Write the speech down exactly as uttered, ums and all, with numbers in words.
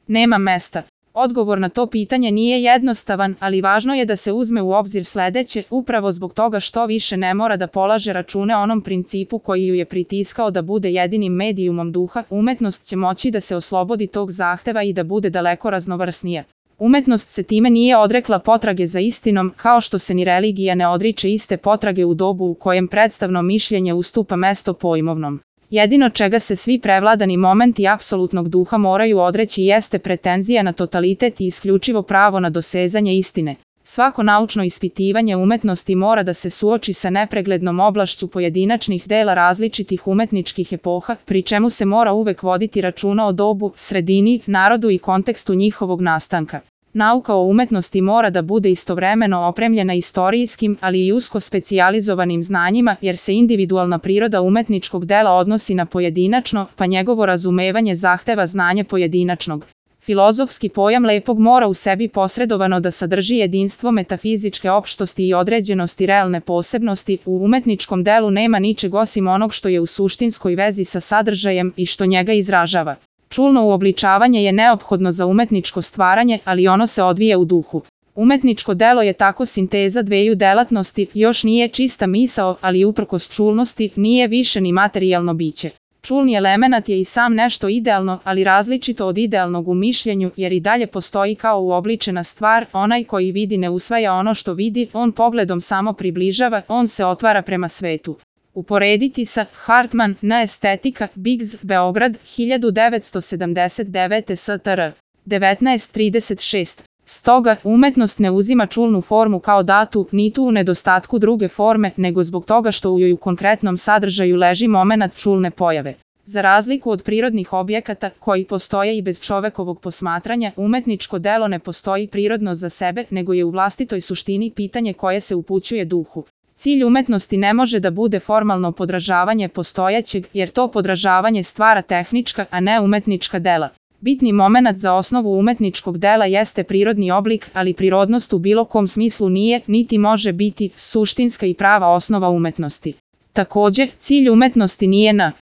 Nema mesta. Odgovor na to pitanje nije jednostavan, ali važno je da se uzme u obzir sledeće, upravo zbog toga što više ne mora da polaže račune onom principu koji ju je pritiskao da bude jedinim medijumom duha, umetnost će moći da se oslobodi tog zahteva i da bude daleko raznovrsnija. Umetnost se time nije odrekla potrage za istinom, kao što se ni religija ne odriče iste potrage u dobu u kojem predstavno mišljenje ustupa mesto pojmovnom. Jedino čega se svi prevladani momenti apsolutnog duha moraju odreći jeste pretenzija na totalitet i isključivo pravo na dosezanje istine. Svako naučno ispitivanje umetnosti mora da se suoči sa nepreglednom oblašću pojedinačnih dela različitih umetničkih epoha, pri čemu se mora uvek voditi računa o dobu, sredini, narodu i kontekstu njihovog nastanka. Nauka o umetnosti mora da bude istovremeno opremljena istorijskim, ali i usko specijalizovanim znanjima, jer se individualna priroda umetničkog dela odnosi na pojedinačno, pa njegovo razumevanje zahteva znanje pojedinačnog. Filozofski pojam lepog mora u sebi posredovano da sadrži jedinstvo metafizičke opštosti i određenosti realne posebnosti. U umetničkom delu nema ničeg osim onog što je u suštinskoj vezi sa sadržajem i što njega izražava. Čulno uobličavanje je neophodno za umetničko stvaranje, ali ono se odvija u duhu. Umetničko delo je tako sinteza dveju delatnosti, još nije čista misao, ali uprkos čulnosti nije više ni materijalno biće. Čulni elemenat je i sam nešto idealno, ali različito od idealnog u mišljenju, jer i dalje postoji kao uobličena stvar, onaj koji vidi ne usvaja ono što vidi, on pogledom samo približava, on se otvara prema svetu. Uporediti sa Hartman, na estetika, Biggs, Beograd, hiljadu devetsto sedamdeset devete. S T R. devetnaest trideset šest. Stoga, umetnost ne uzima čulnu formu kao datu, ni tu u nedostatku druge forme, nego zbog toga što u joj u konkretnom sadržaju leži momenat čulne pojave. Za razliku od prirodnih objekata, koji postoje i bez čovekovog posmatranja, umetničko delo ne postoji prirodno za sebe, nego je u vlastitoj suštini pitanje koje se upućuje duhu. Cilj umetnosti ne može da bude formalno podražavanje postojećeg, jer to podražavanje stvara tehnička, a ne umetnička dela. Bitni momenat za osnovu umetničkog dela jeste prirodni oblik, ali prirodnost u bilo kom smislu nije, niti može biti, suštinska i prava osnova umetnosti. Takođe, cilj umetnosti nije na